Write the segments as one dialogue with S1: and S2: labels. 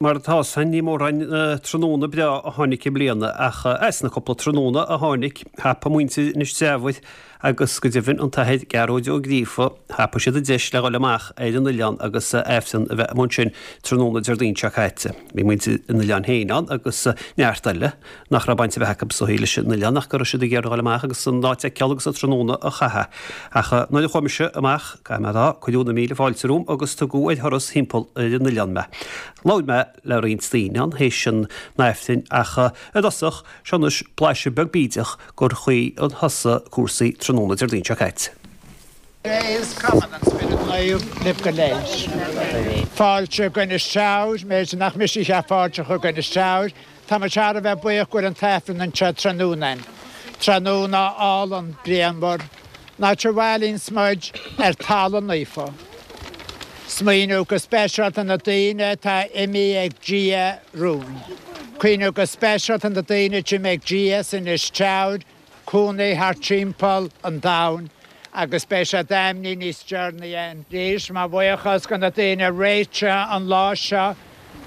S1: Mar atá san, ní mórán tráthnóna breá a tháinig i mbliana, ach as na cúpla tráthnóna a tháinig, thapaigh muintir Inis Treabhair agus go deimhin an tAthair Gearóid Ó Gríofa, thapaigh siad an deis le dhul amach ar an oileán agus Aifreann a bheith amuigh ansin tráthnóna Déardaoin seo caite. Bhí muintir an oileáin féin ann agus neart eile nach raibh baint ar bith acu is dóichí leis an oileán ach go raibh siad ag iarraidh a dhul amach agus an áit a fheiceáil agus an tráthnóna a chaitheamh. Ach nuair a chuaigh mise amach, caithfidh mé a rá, cuireadh na míle fáilte romham agus tugadh ar thuras thimpeall ar an oileán mé. Labhair mé le roinnt daoine ann théis an Aifrinn ach i dtosach, seo anois blaiseadh beag bídeach gur chaoi a thosaigh cúrsaí tráthnóna Déardaoin seo caite.
S2: Dé is Cumann an Spiorad Naomh libh go léir. Fáilte go Inis Treabhair, b'fhéidir nach mise a cheap fáilte a chur go Inis Treabhair, Tá muid thar a bheith buíoch go bhfuil an t-Aifreann anseo tráthnóna againn. Tráthnóna álainn grianmhar, an áit a bhailíonns muid ar talamh naofa. Smaoineamh go speisialta na daoine atá imithe ag Dia romhainn. Cuimhneamh go speisialta na daoine a d'imigh ag Dia as Inis Treabhair, cónaí thart timpeall an domhain agus beidh siad ainmnithe níos deireanaí arís. Mo bhuíochas go na daoine a réitigh an lá seo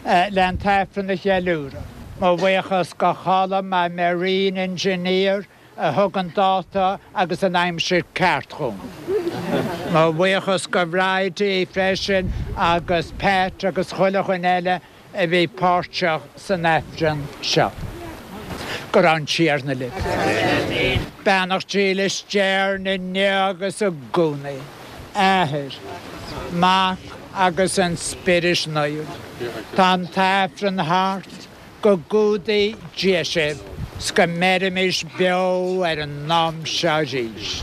S2: le an t-Aifreann a cheiliúradh. Mo bhuíochas go Colm, my marine engineer, a thug an dáta agus an aimsir ceart dhom. Mo bhuíochas go Bridie freisin agus Pat agus chuile dhuine eile a bhí páirteach san Aifreann seo. Go raibh an Tiarna libh. Beannacht dílis d'Éirinn inniu agus i gcónaí. Athair, Mac agus an Spiorad Naomh. Tá an tAifreann thart. Go gcumhdaí Dia sibh 's go mbeirimis beo ar an am seo arís.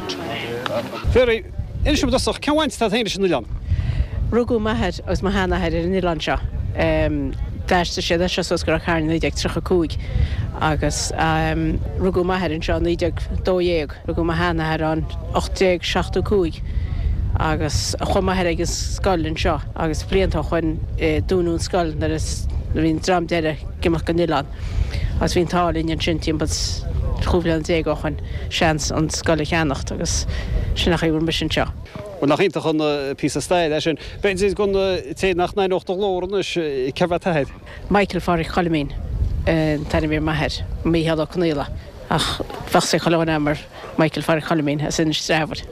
S1: Mary, Inis dom i dtosach, cén bhaint atá agat féin leis an oileán?
S3: Rugadh m'athair agus mo sheanathair ar an oileán seo. D'aistrigh siad as seo suas go Ráth Chairn i 1935 agus rugadh m'athair anseo i 1912. Rugadh mo sheanathair ann 1875 agus chuaigh m'athair ag an scoil anseo agus blianta ó shoin dúnadh an scoil nuair a bhí an dream deiridh ag imeacht den oileán agus bhí an t-ádh linn ansin timpeall 15 bhliana ó shoin seans an scoil a cheannacht agus sin an chaoi a bhfuil mise anseo.
S1: Bhuel nach iontach an píosa staire é sin. B'fhéidir don té nach n-aithneodh do ghlór anois, cérbh é t'athair?
S3: Michael Pháraic Choilimín an t-ainm a bhí ar m'athair, Mícheál Ó Conaola. Ach bheadh a fhios ag chuile dhuine mar Michael Pháraic Choilimín as Inis Treabhair.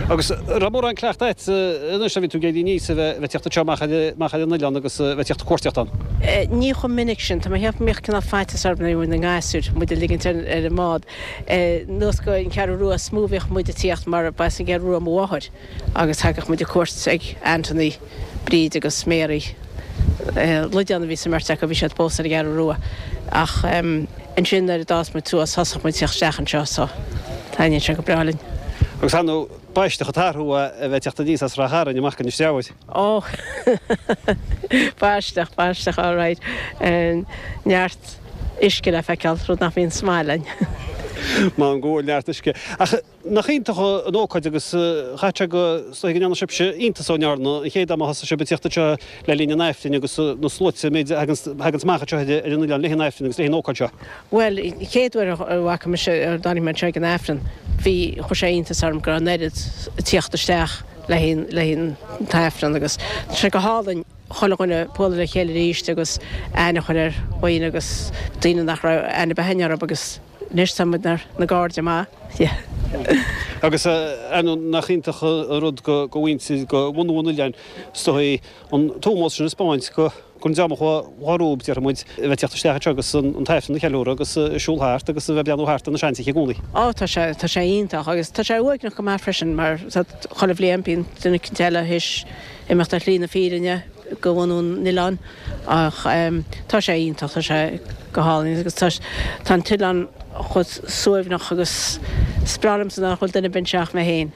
S1: Agus raibh mórán cleachtaidh agat anois a bhí tú ag éirí aníos a bheith ag tíocht anseo amach amach ar an oileán agus a bheith ag tíocht ag cuartaíocht ann?
S3: Ní chomh minic sin. Tá mé ag ceapadh go mbíodh cineál faitíos orm nuair a bhí na gasúir, muid a ligint ar an mbád. Anuas go an Cheathrú Rua is mó a bhíodh muid ag tíocht mar ba as an gCeathrú Rua mo mháthair agus thagadh muid ag cuairt ag Anthony, Bríd agus Mary. Loideán a bhí sa mbeirt acu, bhí siad fós ar an gCeathrú Rua. Ach ansin nuair a d'fhás muid suas thosaigh muid ag teacht isteach anseo so taitníonn sé go breá linn.
S1: Agus ar ndóigh, b'aisteach an t-athrú é a bheith ag teacht aníos as Ráth Chairn amach go Inis Treabhair.
S3: Ó! B'aisteach, b'aisteach alright. Neart uisce le feiceáil, rud nach mbíonn sa mbaile againn.
S1: M'anam go bhfuil neart uisce. Ach Nach iontach an ócáid agus chaithfeadh sé go is dóigh go ndearna sibhse iontas ó ndearna an chéad am a thosaigh sibh ag tíocht anseo le linn an Aifrinn agus na sluaite an méid a thaganns amach anseo ar an oileán le haghaidh an Aifrinn agus le haghaidh an ócáid seo.
S3: Bhuel, an chéad uair a bhfaca mise, a dtáinig mé anseo ag an Aifreann, bhí, chuir sé iontas orm go raibh an oiread ag tíocht isteach le haghaidh, le haghaidh an t-Aifreann agus tá sé go hálainn chuile dhuine bualadh le chéile arís agus aithne a chur ar dhaoine agus daoine nach raibh aithne ar bith againn orthu agus Anois tá muid ina gcairde maith. Yeah.
S1: Agus ar ndóigh nach iontach an rud go mhuintir, go bhunú an oileáin, is dóigh, an t-ómós sin a 'speáint go don dream a chuaigh rompu, déarfaidh muid, a bheith ag teacht isteach anseo agus an t-Aifreann a cheiliúradh agus ag siúl thart agus a bheith ag breathnú thart ar na seantithe i gcónaí.
S3: Ó tá sé, tá sé iontach agus tá sé uaigneach go maith freisin mar chuile bhliain bíonn duine eicínt eile théis imeacht ar shlí na fírinne. go bhunú an oileáin ach tá sé iontach, tá sé go hálainn agus tá tá an t-oileán chomh suaimhneach agus is breá liomsa nach bhfuil duine ar bith anseo ach mé féin.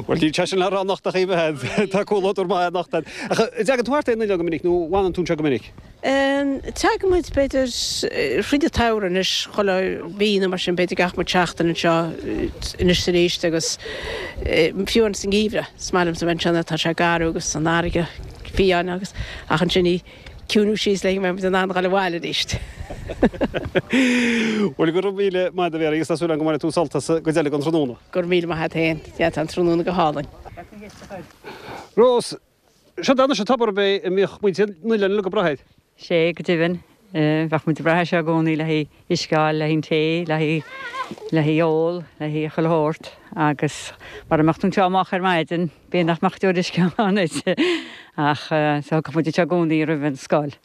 S1: Bhuel níl sé sin le rá anocht ach oiread, tá comhluadar maith anocht agat. Ach an dtagann tú thart ar an oileán go minic nó an bhfanann tú anseo go minic?
S3: Tagann muid b'fhéidir thríd an tsamhradh anois, chuile mhí nó mar sin, b'fhéidir gach muid seachtain anseo anois is arís agus fiú ins an ngeimhreadh is maith liomsa a bheith anseo nuair atá sé garbh agus an fharraige fiáin agus ach ansin í ciúnú síos le go mbeidh muid in ann dhul abhaile arís.
S1: Bhuel go raibh míle maith agat a Mhary agus tá súil agam go mbainfidh tú sult as an gcuid eile den tráthnóna.
S3: Go raibh míle maith agat féin. Yeah tá an tráthnóna go hálainn.
S1: Rós. Seo anois an tobar ab é a mbíodh muintir an oileáin uilig ag brath air.
S4: Sé, go deimhin. Bheadh muid ag brath air seo i gcónaí le haghaidh uisce a fháil, le haghaidh an tae, le haghaidh, le haghaidh ól, le haghaidh chuile shórt agus mara mbeadh tú anseo amach ar maidin, b'fhéidir nach mbeadh deoir uisce ann duit. Ach so thiocfadh muid anseo i gcónaí roimh an scoil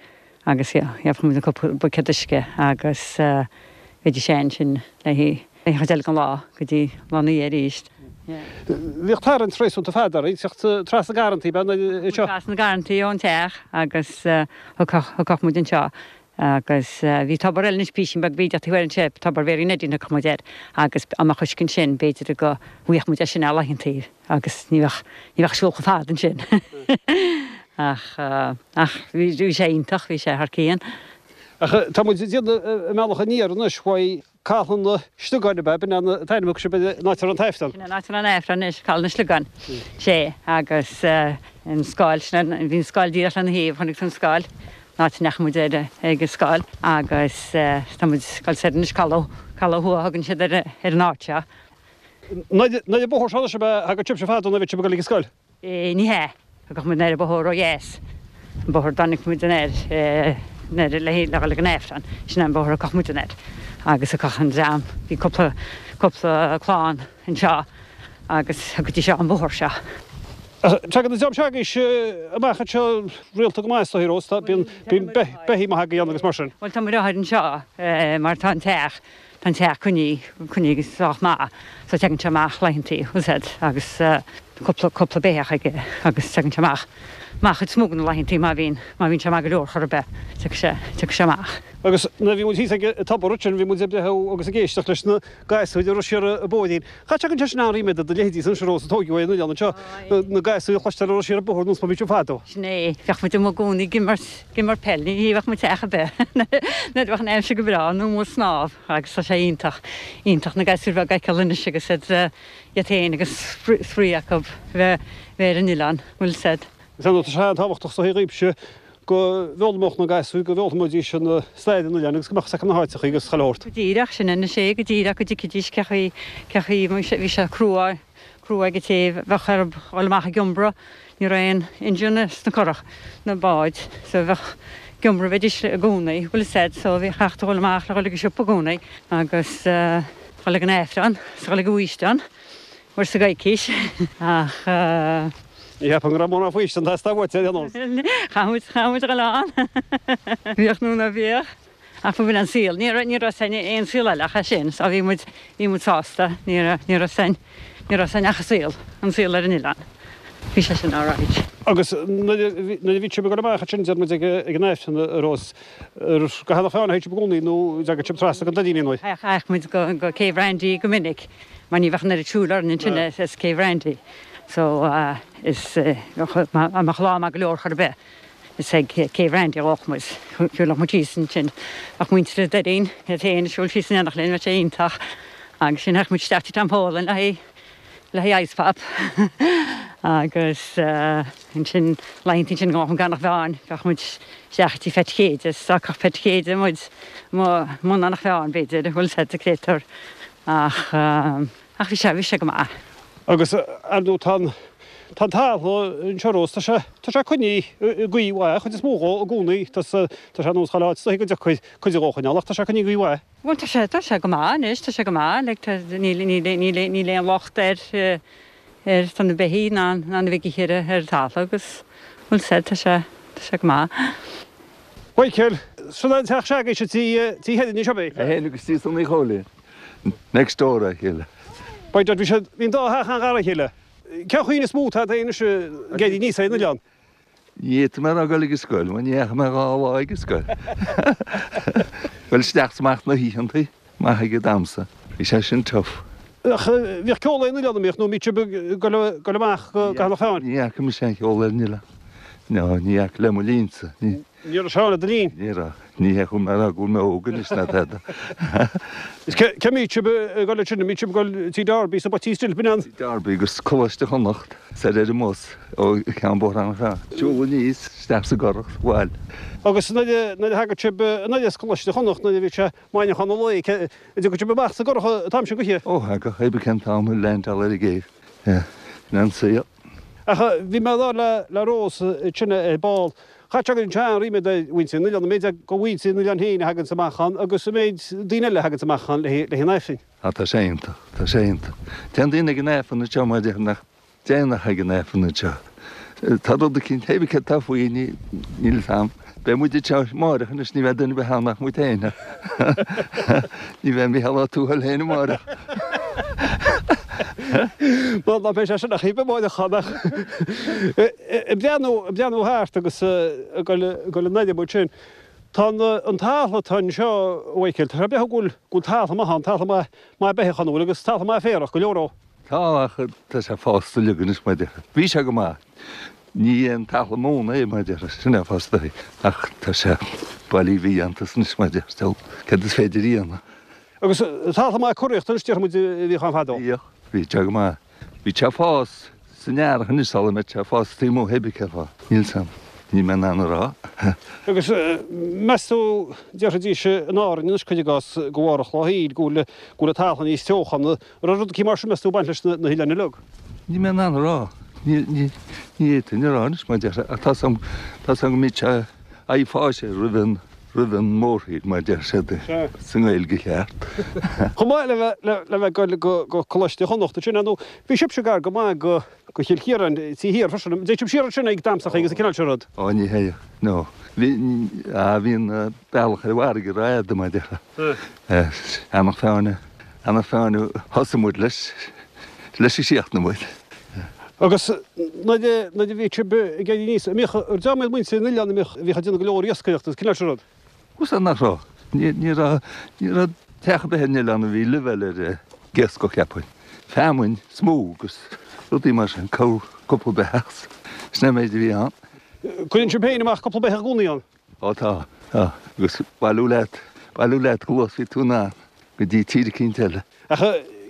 S4: agus gheobhadh muid an cúpla buicéad uisce agus bheidís ansin le haghaidh an chuid eile den lá go dtí lá ina dhiaidh arís.
S1: Bhíodh tarraingt réasúnta fada oraibh teacht trasna garrantaí, ab ea, anseo?
S4: Trasna garrantaí ón teach agus thiocfadh muid anseo agus bhí tobar eile anois písín beag bídeach taobh thoir anseo, tobar Mhéirí Neidín thiocfadh muid air agus dá mbeadh uisce ansin b'fhéidir go bhfaigheadh muid é sin ar laethantaí agus ní bheadh, ní bheadh siúl chomh fada ansin ach, ach bhí sé iontach, bhí sé thar cionn.
S1: Ach tá muid ag déanamh an mbealach aniar anois uaidh Caladh na Sliogáin ab ea? B'in an t-ainm a thug sibh ar an áit a raibh an
S4: t-aifreann. Sin an áit a raibh an aifreann anois, Caladh na Sliogáin. Sé, agus an scoil, sin an, bhí an scoil díreach lena thaobh, chonaic tú an scoil, an áit a ndeachaigh muid ar, ag an scoil agus tá muid ag dul soir anois, Caladh, Caladh Thuaidh a thugann siad ar, ar an áit seo.
S1: Anoir an bóthar seo anois ab ea a thagadh sibhse fadó nuair a bhíodh sibh ag dul ag an scoil?
S4: Ní hea. Thagadh muid anoir an bóthar ó dheas, an bóthar a dtáinig muid anoir, anoir le le dhul ag an Aifreann, sin é an bóthar a thiocfadh muid anoir. Agus thiocfadh an dream, bhí cúpla, cúpla clann anseo agus thiocfaidís seo an bóthar seo.
S1: Tagann an dream seo agaibhse amach anseo rialta go maith is dóigh, Rós, tá, bíonn, bíonn beithígh maith agaibh ann agus mar sin.
S4: Bhuel tá muid anseo mar tá an teach, Tá an teach coinnithe, coinnithe sách maith so teagann sé amach laethantaí, bhfuil 's a'd, agus cúpla, cúpla béitheach aige agus teagann sé amach, amach chuid is mó de na laethantaí má bhíonn, má bhíonn sé maith go leor chor ar bith, tiocfaidh sé, tiocfaidh sé amach.
S1: Agus nuair a bhí muid thíos ag an tobar ansin bhí muid ag breathnú agus ag éisteacht leis na gasúir ag rith siar an bóithrín. Cha dtagann sé sin an-ríméad do do leithéidí anois a Rós a tóigeadh ar an oileán anseo, na gasúir a chloisteáil ag rith siar an bóthar nós mar bhí sibh fadó.
S4: Sin é, bheadh muid amuigh i gcónaí ag imirt, Ag imirt peil, ní bheadh muid sa teach ar bith nuair a bheadh an aimsir go breá nó amuigh ag snámh agus tá sé iontach, iontach na gasúir bheaga a fheiceáil anois agus iad, iad féin agus spraoi acu bheith, bheith ar an oileán, bhfuil 's a'd.
S1: Is é tá sé an-tábhachtach sa dhaoibhse go bhfoghlaimeodh na gasúir, go bhfoghlaimeoidís an stair an oileáin agus go mbeadh 's acu na háiteachaí agus chuile shórt.
S4: Go díreach, sin anois é, go díreach go dtuigfidís cé chaoi, cé chaoi, bhí sé crua, crua ag an té a bheadh orthu dhul amach ag iombradh, ní raibh aon engine sna curach, na báid, so bheadh ag iombradh bheidís i gcónaí, bhfuil 'fhios a'd, so bhí chaithfeadh tú dhul amach le dhul ag an siopa i gcónaí agus dhul ag an Aifreann, 's dhul ag an bhfaoistean, uair sa gcoicís ach.
S1: Ní cheapaim go raibh mórán faoistean ag teastáil uait ar aon nós.
S4: Chaith muid, chaith muid a dhul ann. Bhíodh nó ná bíodh. Ach b'in an saol. Ní raibh, ní raibh 's a'inn aon saol eile ach é sin. So bhí muid, bhí muid sásta. Ní raibh, ní raibh 's a'inn, ní raibh 's a'inn ach an saol, an saol ar an oileán. Bhí sé sin alright.
S1: Agus nuair a bhí, nuair a bhí sibh ag dul amach ansin, deir muid ag, ag an Aifreann, a Rós, ar, go hEanach Mheáin a théadh sibh i gcónaí nó dtagadh sibh trasna go Doirín aon uair?
S4: Théadh muid go, go Céibh Randy go minic mar ní bheadh an oiread siúil orainn ansin as Céibh Randy. So is, dá mbeadh lá maith go leor chor ar bith. Is ag Céibh Randy a ghabhadh muid. Shiúlfadh muid síos ansin. Bheadh muintir an Doirín iad féin ag siúl síos in éineacht linn, bheadh sé iontach. Agus ansin théadh muid isteach tigh Tom Folan le haghaidh, le haghaidh ice pop. Agus ansin, laethantaí ansin go mbeadh muid ag Eanach Mheáin, bheadh muid isteach tigh Pheait Chéide, is d'fhágfadh Peait Chéide muid i mbun Eanach Mheáin, b'fhéidir, bhfuil 's a'd, sa créatúr. Ach. Ach bhí sé, bhí sé go maith.
S1: Agus ar ndóigh tá an, tá an talamh anseo a Rós, tá sé, tá sé coinnithe i gcaoi mhaith, an chuid is mó dhó i gcónaí, tá sé, tá sé nós chuile áit is dóichí go dtiocfaidh cuid dhó a choinneáil ach tá sé coinnithe i gcaoi mhaith.
S4: Bhuel tá sé, tá sé go maith anois, tá sé go maith, like tá, níl, níl, níl, níl aon locht ar, ar, tá na beithígh ná, ná na beithígh ar, ar an talamh agus bhfuil 's a'd, tá sé, tá sé go maith.
S1: Mhichael, sin an teach s'agaibhse, tí, tí Heidin anseo, ab é?
S5: É féin agus tí Sonaí Chóilín. Next door dá chéile.
S1: By dad, bhí siad, bhí an dá theach an-ghar dá chéile. Cén chaoi níos mó atá a'd anois ag éirí aníos ar an oileán?
S5: Ní fhéadfaidh mé a rá dul ag an scoil, mar ní dheachaigh mé dhá lá ag an scoil. Dul isteach is amach na hoícheantaí, maith ag an damhsa. Bhí sé sin tough.
S1: Ach bhíodh ceol ar an oileán, an mbíodh, nó an mbíodh sibh ag dul amach go hEanach Mheáin?
S5: Ní fhaca mise aon cheol ar an oileán. No, ní fhaca le mo linnsa.
S1: Ní raibh sé ann le do linn?
S5: Ní raibh. Ní hé go bhfuil mé ag rá go bhfuil mé óg anois ná tada.
S1: Is cé mbíodh sibh ag dul ansin? An mbíodh sibh ag dul tí Darby sa bPoitín Stil, b'in an?
S5: Tí Darby agus Coláiste Chonnacht, soir ar an mbus ó Cheann Bóthair Eanach Mheáin. Siúl aníos, isteach sa gcurach, abhaile.
S1: Agus nuair a thagadh sibh anoir as Coláiste Chonnacht, nuair a bhí sé maidneachan an lae, an dtiocfadh sibh amach sa gcurach an t-am sin goidé?
S5: Ó, thagadh, pé ar bith cén t-am a leaindeáil ar an gcéibh. Yeah, sin an saol.
S1: Ach bhí mé ag labhairt le Rós ansin ar ball. Chaithfeadh sé go bhfuil an-ríméad ar mhuintir an oileáin, an méid de mhuintir an oileáin féin a thaganns amach ann agus an méid daoine eile a thaganns amach ann le haghaidh an Aifrinn.
S5: Á tá sé iontach, tá sé iontach. Téann daoine ag an Aifreann anseo mar a déarfá nach dtéann ach ag an Aifreann anseo. Tá rud eicínt, pé céard atá faoi, níl fhios a'm. Beidh muid anseo amáireach anois, ní bheidh duine ar bith ann ach muid féin. Ní bheidh Mícheál Ó Tuathail féin amáireach.
S1: Bhuel, ná beidh sé sin ach amáireach ann ach ag breathnú, ag breathnú thart agus ag dul, ag dul in airde muid sin. Tá an, an talamh atá anseo, a Mhichael, tá sé breá go bhfuil, go bhfuil talamh maith ann, talamh maith, maith beithíoch ann, an bhfuil, agus talamh maith féarach, go leor dhó.
S5: Tá, ach tá sé fásta uilig anois mar a déarfá. Bhí sé go maith. Ní aon talamh móna é mar a déarfá, sin é fosta é. Ach tá sé bailí mhídhéanta anois mar a déarfá. Céard is féidir a dhéanamh?
S1: Agus talamh maith curaíochta anois déarfaidh muid a bhíodh ann fadó.
S5: Bhíodh. Bhí sé go maith. Bhí sé ag fás san earrach anois sula mbeidh sé ag fás taobh amuigh pé bith cén fáth. Níl 's a'm. Níl mé in ann a rá.
S1: Agus meas tú, déarfaidís in Árainn anois cuir i gcás de bharr an chloch shaoil go bhfuil go bhfuil an talamh níos teochana An raibh rud eicínt mar sin meas tú ag baint leis na hoileáin uilig?
S5: Níl mé in ann a rá. Ní, ní, ní fhéadfainn a rá anois mar a déarfá, ach tá 's a'm, tá 's a'm go mbíodh sé ag fás roimh an, roimh an mórthír mar a deir siad sa nGaeilge cheart.
S1: Chomh maith le bheith, le, le bheith ag goil go, go Coláiste Chonnacht ansin, ar ndóigh, bhí sibhse gar go maith go, go Chill Chiaráin, taobh thiar freisin. An dtéadh sibh siar ansin ag damhsachaí agus an cineál sin rud?
S5: Ó, ní théadh, no. Bhí, ah, bhí an bealach ar an bhfarraige rófhada mar a déarfá. Eanach Mheáin, Eanach Mheáin a thosaigh muid leis, leis a chríochnaigh muid.
S1: Agus nuair a, nuair a bhí sibh ag éirí aníos, an mbíodh, an dream iad muintir an oileáin, an mbíodh, bhíodh ag déanamh go leor iascaireachta agus cineál sin rud?
S5: Bhuel nach raibh. Ní, ní raibh, ní raibh teach ar bith ar an oileán a bhí leibhéal ar ag iascach cheapfainn. Feamainn is mó agus rudaí mar sin, corr, cúpla beitheach, sin é an méid a bhí ann.
S1: Cuireann sibh féin amach cúpla beitheach i gcónaí ann?
S5: Ó tá, tá, agus bailiú leat, bailiú leat chomh luath is bhí tú in ann go dtí tír eicínt eile.
S1: Ach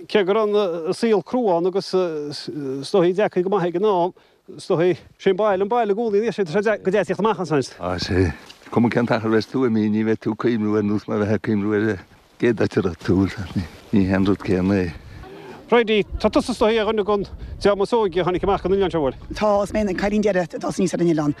S1: cé go raibh an saol crua ann agus is dóigh deacair go maith ag an am, is dóigh, sé an baile an baile i gcónaí, níl sé, tá sé go deas tíocht amach ansan.
S5: Á, sé, cuma cén t-achar a bheas tú imithe, ní bheidh tú ag cuimhniú ar nós mar a bheifeá ag cuimhniú ar an gcéad áit a raibh tú, ní hé an rud céanna é.
S1: Bridie, tá tusa is dóigh ar dhuine den dream is óige a tháinig amach go an oileán seo, an bhfuil?
S6: Tá, is mé an cailín deiridh a d'fhás aníos ar an oileán.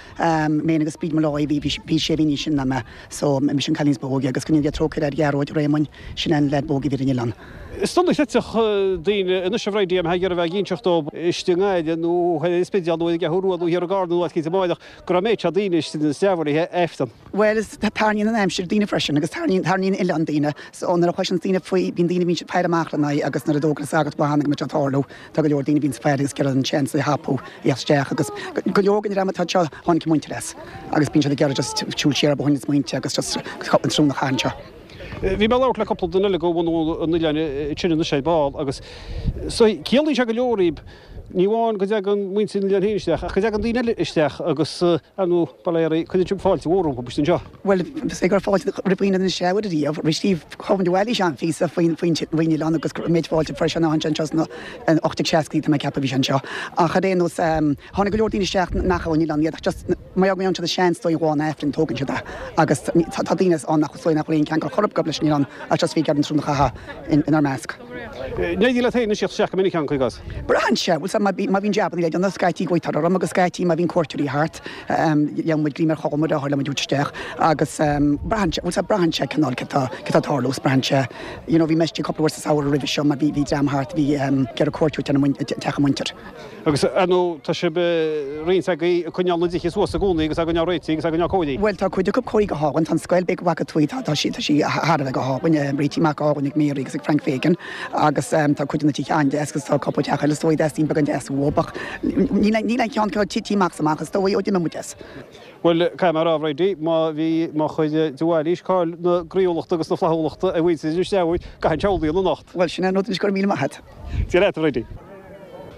S6: Mé agus Bríd Molloy, bhí bhí sé mhí níos sine ná mé, so mise an cailín is ba óige agus go ndéana Dia trócaire ar Ghearóid Réamoinn, sin an leaid ba óige a bhí ar an oileán.
S1: Is dona chreidfeadh daoine anois a Bhridie, a mbeifeá ag iarraidh a bheith ag inseacht dóibh istigh i nGaillimh nó ar an Spidéal nó ar an gCeathrú Rua nó thiar i gCarna nó áit eicínt amáireach go raibh an méid seo daoine istigh in Inis Treabhair oíche Aifreann.
S6: Bhuel, is tarraingíonn an aimsir daoine freisin agus tarraingíonn, tarraingíonn an oileán daoine. So nuair a chloiseanns daoine faoi, bíonn daoine a bhíonn ag faire amach lena aghaidh agus nuair a d'fhógair an sagart go mbeadh sé ag tarlú, tá go leor daoine a bhíonns ag faire agus ag iarraidh an seans a thapú, a theacht isteach agus go leor den dream atá anseo, tháinig a muintir as agus bíonn siad ag iarraidh just siúl siar ar bóithrín na smaointe agus just an tráthnóna a chaitheamh anseo.
S1: Bhí mé ag labhairt le cúpla duine eile de bhunadh an oileáin ansin anois ar ball agus so ciallaíonn sé go leor daoib, ní amháin go dtagann muintir an oileáin féin isteach ach go dtagann daoine eile isteach agus Ar ndóigh, bail ó Dhia oraibh, cuireann sibh fáilte mhór rompu istigh anseo.
S6: Bhuel, is é go raibh fáilte roimh dhaoine in Inis Treabhair ariamh, rith Steve Chuan de Bhailís an-phíosa faoin faoin oileán agus an méid fáilte a fuair sé nuair a tháinig sé anseo sna 1860idí, tá mé ag ceapadh a bhí sé anseo. Ach ar aon nós, tháinig go leor daoine isteach nach ón oileán iad ach just mar gheall go ngeobhann siad an seans dóigh lá an Aifrinn, tógann siad é. Agus tá daoine ann nach is dóigh nach bhfuil aon cheangal chor ar bith acu leis an oileán ach just bhí ag iarraidh an tráthnóna a chaitheamh inár measc.
S1: An éiríonn leat féin anois tíocht isteach go minic ann, cuir i gcás.
S6: Braitheann sé, bhuel, má bhíonn jabanna le déanamh, scaití glaoitear orm agus scaití má bhíonn cuairteoirí thart, gheobhaidh muid greim ar chothrom muid le muid a thabhairt isteach agus braitheann sé, bhuel, braitheann sé cineál cé tá ag tarlú is braitheann sé, you know, bhí mé istigh cúpla uair sa samhradh roimhe seo mar bhí dream thart a bhí ag iarraidh cuairt a thabhairt ar teach a muintir.
S1: Agus, ar ndóigh, tá sibh, roinnt agaibh, ag coinneáil na dtithe suas i gcónaí agus á gcoinneáil réitithe agus á gcoinneáil cóirithe.
S6: Bhuel, tá cuid acu cóirithe go hálainn. Tá an scoil b'fhéidir go bhfaca tú í, tá, tá sí, tá sí thar a bheith go hálainn, réitithe amach go hálainn ag Mary agus ag Frank Fagan agus tá cuid de na tithe an-deas agus tá cúpla teach eile is dóigh a dteastaíonn beagán deasú uathu ach níl, níl aon cheann acu tite amach is amach is dóigh ó d'imigh muid as.
S1: Bhuel, caithfidh mé a rá, a Bhridie, má bhí, má chuir de Bhailís cáil na gcroíúlachta agus na flaithiúlachta ar mhuintir Inis Treabhair, gach aon tsamhlaí ann anocht.
S6: Bhuel, sin é an rud anois, go raibh míle maith agat.
S1: Dia leat, a Bhridie.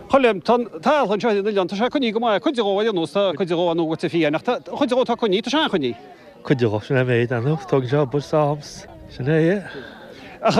S1: Choilm, tá an talamh anseo ar an oileán, tá sé coinnithe go maith, cuid de dhó ar aon nós, tá cuid de dhó ar ndóigh goite fiáin, ach tá cuid de dhó atá coinnithe, tá sé an-choinnithe.
S7: Cuid de dhó, sin é an méid, ar ndóigh, tógann sé obair 's am 's sin é é.
S1: Ach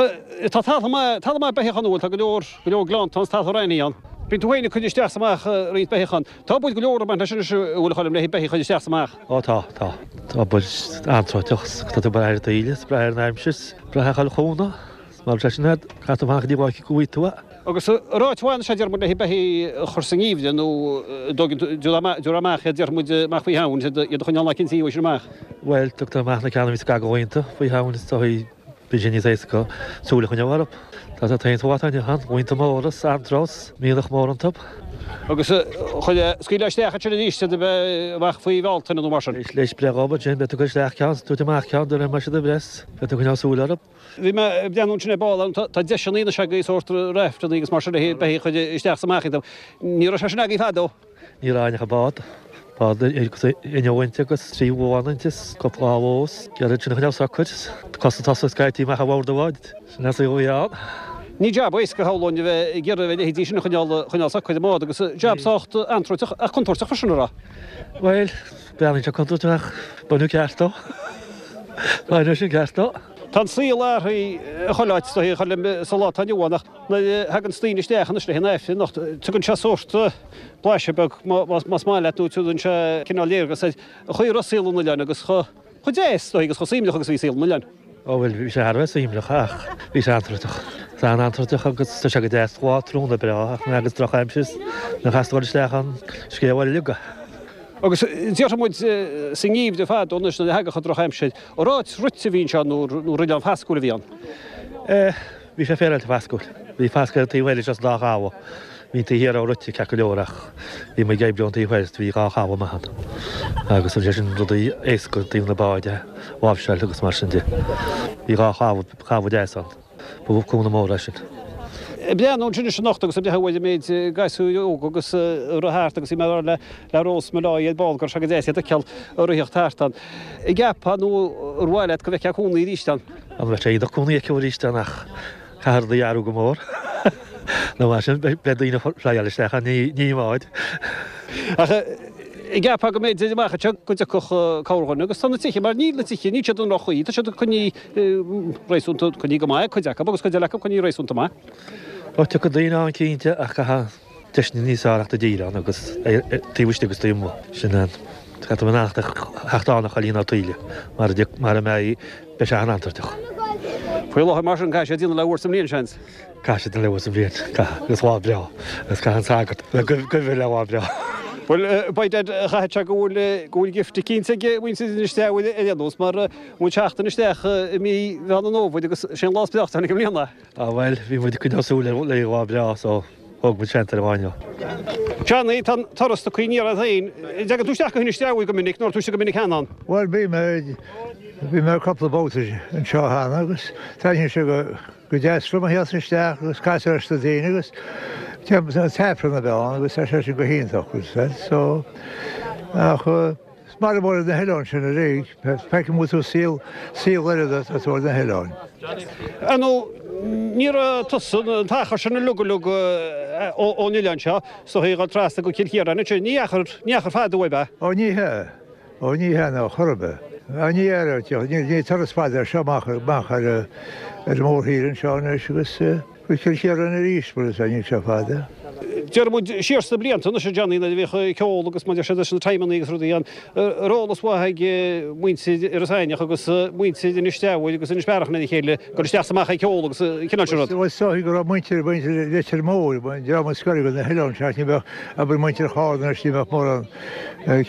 S1: tá talamh maith, talamh maith beithíoch ann, bhuel, tá go leor, go leor gleannta ann, 's talamh raithní ann. Bíonn tú féin ag cur isteach 's amach roinnt beithíoch ann. Tá obair go leor ag baint leis anois, an bhfuil, a Choilm, le beithígh a chur isteach 's amach.
S7: Ó tá, tá. Tá obair an-tráiteach 's tá tú ag brath ar an taoille, 's brath ar an aimsir, 's brath ar chuile chúnamh. 's mar sin é, caithfidh tú fanacht go dtí go bhfaighidh tú é.
S1: Agus an raibh áit mhaith anseo, déarfaidh muid, le beithígh a chur sa ngeimhreadh nó an dtógann tú amach iad, déarfaidh muid, amach faoi Shamhain, iad a choinneáil lá eicínt uaidh sin amach?
S7: Bhuel, tugtar amach na ceanna a bhíos ag gabháil iontu faoi Shamhain is dóigh. Bíonn sé níos éasca súil a choinneáil orthu. Tá sé taobh amuigh ann, laethanta móra, antrós, mianach mór iontu.
S1: Agus chuir scaoileadh isteach ansin arís iad a bheith amach faoi Bhealtaine nó mar sin.
S7: Leis breith dhóibh ansin, beidh tú ag cur isteach ceann, tabhairt amach ceann, de réir mar siad ag breith, beidh tú ag coinneáil súil orthu.
S1: Bhí mé ag breathnú ansin ar ball ann, tá deiseanna anois agaibh, sórt raftanna agus mar sin le beithígh a chur isteach is amach iontu. Ní raibh sé sin agaibh fadó.
S7: Ní raibh ach an bád. Bád agus inneall inti agus 3 bhuan inti is cúpla bhó is iad sin a choinneáil socair. Cosa tosaigh scaití amach ó bhord an bháid. Sin an saol a bhí ann.
S1: Ní jab éasca shamhlóinn a bheith ag iarraidh a leithéidí sin a choinneáil choinneáil socair i mbád agus jab sách antrúiteach ach contúirteach freisin, an raibh?
S7: Bhuel, breathnaíonn sé contúirteach ach baineadh ceart dó. Baineadh sin ceart dó.
S1: Tá an saol athraithe chuile áit is dóigh a Choilm sa lá atá inniu ann ach Nuair a thaganns daoine isteach anois le an Aifreann anocht, tugann sé sórt blaiseadh beag, más maith leat, nó tugann sé cineál léargas ar an chaoi a raibh saol an oileáin agus chomh deas, is dóigh, agus chomh suaimhneach agus a bhí saol an oileáin.
S7: Ó bhuel, bhí sé thar a bheith suaimhneach ach bhí sé antrúiteach. Tá an-antrúiteach agus tá sé go deas lá tráthnóna breá ach nuair a thagas drochaimsir nach as dul isteach an scéal uilig.
S1: Agus déarfaidh muid sa ngeimhreadh fadó anois nuair a thagadh an drochaimsir, an áit rite a bhí anseo nó oileán fascúil a bhí ann?
S7: Eh. Bhí sé féaráilte fascúil. Bhí fascadh ar an taobh eile seo sa dá chabha. Bhí an taobh thiar rite ceart go leor ach bhí muid ag oibriú ón taobh thoir is bhí dhá chabha maith ann. Agus bhí sé sin rudaí éasca i dtaobh na báid a láimhseáil agus mar sin de. Bhí dhá chabha, chabha deas ann. Ba cúnamh mór é sin.
S1: Ag breathnú ansin anois anocht agus ag breathnú ar an méid gasúir óga agus ag rith thart agus bhí mé ag rá le le Rós Molloy ar ball go raibh sé go deas iad a fheiceáil ag ritheacht thart ann. An gceapfá nó ar mhaith leat go bhfeicfeá cónaí arís ann?
S7: An bheadh sé iontach cónaí acu arís ann ach caithfear rudaí a athrú go mór. Nó mar sin beidh daoine ag flyáil isteach ann, ní i mbáid.
S1: Ach an gceapfá go mb'fhéidir amach anseo go dtiocfadh cabhair dhuine agus tá na tithe mar níl na tithe, níl siad i ndroch-chaoi, tá siad coinnithe réasúnta, coinnithe go maith, cuid acu agus cuid eile acu coinnithe réasúnta maith.
S7: Ó tiocfaidh daoine ann cinnte ach caithfidh deiseanna níos fearr a theacht i dtír ann agus taobh istigh agus taobh amuigh. Sin an, caithfidh tú a theacht ann a chailín ná taoille mar a mbeidh Beidh sé an-antrúiteach.
S1: Faoi láthair mar sin caithfidh sé déanamh le uair sa mbliain, seans.
S7: Caithfidh sé déanamh le uair sa mbliain, caithfidh, agus lá breá, agus caithfidh an sagart a bheith gaibhte le lá breá.
S1: Bhuel, by dad, chaithfeadh sé go bhfuil, go bhfuil gift eicínt ag muintir Inis Teamhair ar aon nós, mar bhfuil teacht isteach i mí Mheán an Fhómhair agus sé an lá is breáchta i mbliana.
S7: Ah bhuel, bhí muid ag coinneáil súil ar lá breá so thóg muid seans ar an lá inniu.
S1: Johnny, tá an turas tugtha aniar ort féin. An dtagann tú isteach go hInis Teamhair go minic nó raibh tú istigh go minic cheana ann?
S8: Bhuel, bhí mé, bhí mé cúpla babhta anseo cheana agus taitníonn sé go, go deas liom a theacht isteach agus casadh leis na daoine agus an t-aifreann a bheith ann agus tá sé sin go hiontach, so ach Is mar a bhfuil ar na hoileáin sin uilig, feicfidh muid tú saol, saol eile atá tú ar na hoileáin.
S1: Ar ndóigh, ní raibh tusa, an t-achar sin uilig uilig ón oileán seo, is dóigh, ag dul trasna go Cill Chiaráin ansin, ní achar, ní achar fada uaibh, ab ea?
S8: Ó ní hea, ó ní hea ná chor ar bith. Ní hea, ní turas fada é seo amach, amach ar, ar an mórthír anseo anois agus. Go Cill Chiaráin arís, mar is ea, níl sé fada.
S1: Déarfaidh muid siar sna blianta anois, a Johnny, nuair a bhíodh ceol agus mar a deir siad leis na timeannaí agus rudaí ann, raibh eolas mhaith ag muintir Iorras Aithneach agus muintir Inis Teamhair agus Inis Bearach lena chéile dul isteach is amach ag ceol agus an cineál sin rud.
S8: Bhuel, is dóigh go raibh muintir, muintir Leitir Móir, an dream a scoir go na hoileáin seo, ní bheadh, abair muintir Chárna anois, ní bheadh mórán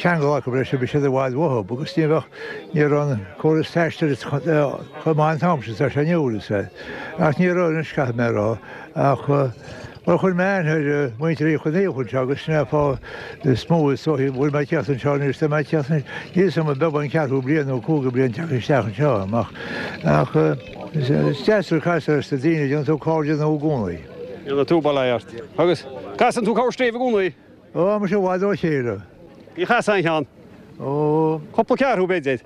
S8: ceangal acu leis, bhí siad i bhfad uathu agus ní bheadh, ní raibh an córas taistil chomh maith an t-am sin is atá sé inniu, is ea. Ach ní raibh anois, caithfidh mé a rá, ach, bhuel, chuir mé aithne ar mhuintir Uí Chonaola anseo agus sin é an fáth is mó is dóichí a bhfuil mé ag teacht anseo anois, tá mé ag teacht, níl fhios agam an beag an ceathrú bliain nó cúigiú bliain teacht isteach anseo amach. Ach is deas ag casadh leis na daoine, déanann tú cairde nua i gcónaí.
S1: Déanann tú, bail ort. Agus casann tú corrscríobh i gcónaí?
S8: Ó, muise i bhfad ó chéile.
S1: Níor chas aon cheann.
S8: Ó.
S1: Cúpla ceathrú, b'fhéidir.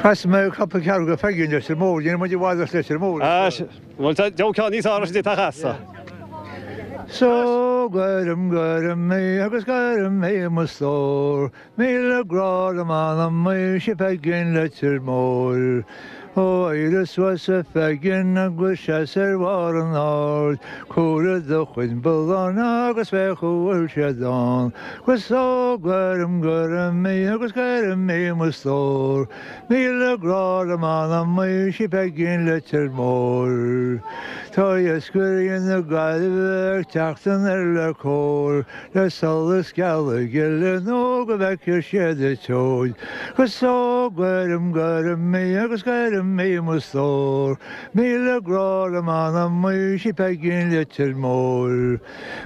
S8: Chas mé cúpla ceathrú go Pheigí in Leitir Móir, níl muid i bhfad as Leitir Móir.
S1: Á, bhuel, tá deabhadh ceann níos fearr as an dté atá chasta.
S8: So gairim, gairim í agus gairim í mo stór, Míle grá le m'anam í 'sí Peigín Leitir Móir. Ó éirigh suas a Pheigín agus seas ar bharr an aird, Cuir do chuid bulláin agus féach an bhfuil siad ann. 'Gus ó gairim, gairim í agus gairim í mo stór, Míle grá le m'anam í 'sí Peigín Leitir Móir. Tá iascairí na Gaillimhe ag teacht anoir le cóir, Le solas geala gile nó go bhfeicfidh siad an tseoid. 'Gus ó gairim, gairim í agus gairim í mo stór, Míle grá le m'anam í 'sí Peigín Leitir Móir.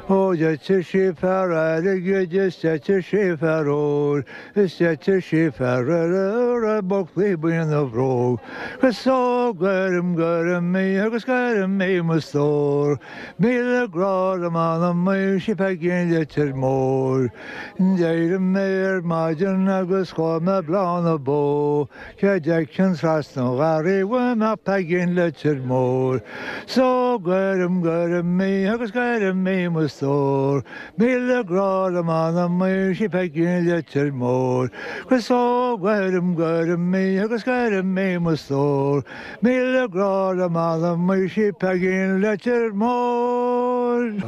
S8: Ó d'eitigh sí fear airgid is d'eitigh sí fear óir, Is d'eitigh sí fear eile a raibh buclaí buí ina bhróg. 'Gus ó gairim, gairim í agus gairim í mo stór, Míle grá le m'anam í 'sí Peigín Leitir Móir. D'éirigh mé ar maidin agus chuaigh mé Bleá na Bó, Cé d'fheicfinn trasna an gharraí uaim ach Peigín Leitir Móir. 'S ó gairim, gairim í agus gairim í mo stór, Míle grá le m'anam í 'sí Peigín Leitir Móir. 'Gus ó gairim, gairim í agus gairim í mo stór, Míle grá le m'anam í 'sí Peigín Leitir Móir.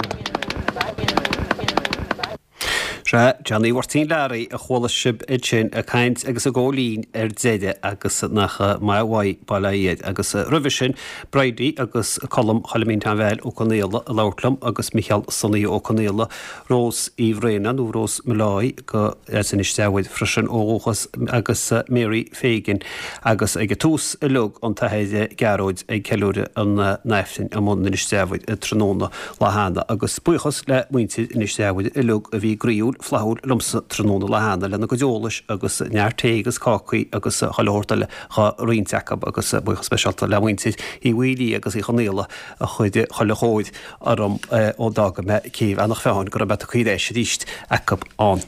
S1: Sea, Johnny Mháirtín Learaí a chuala sibh ansin ag caint agus ag ól linn ar deireadh agus nach maith uaidh Baile Átha Fhirdh. Agus roimhe sin, Bridie agus Colm Choilimín Tom Val Ó Conaola ag labhairt liom agus Micheál Sonaí Ó Conaola, Rós Uí Bhraonáin nó Rós Molloy go as Inis Teamhair freisin ó dhúchas agus Mary Fagan agus ag an tús uilig an tAthair Gearóid ag ceiliúradh an Aifrinn i mbun Inis Teamhair tráthnóna lá cheana agus buíochas le muintir Inis Teamhair uilig a bhí groíúil flaithiúil liomsa tráthnóna lá cheana lena gcuid eolais agus neart tae agus cácaí agus chuile shórt eile dhá roinnt acu agus buíochas speisialta le muintir Uí Mhaoilí agus Uí Chonaola a chuir chuile chóir orm ó d'fhága mé Céibh Eanach Mheáin go raibh mé tagtha ar ais arís acu ann.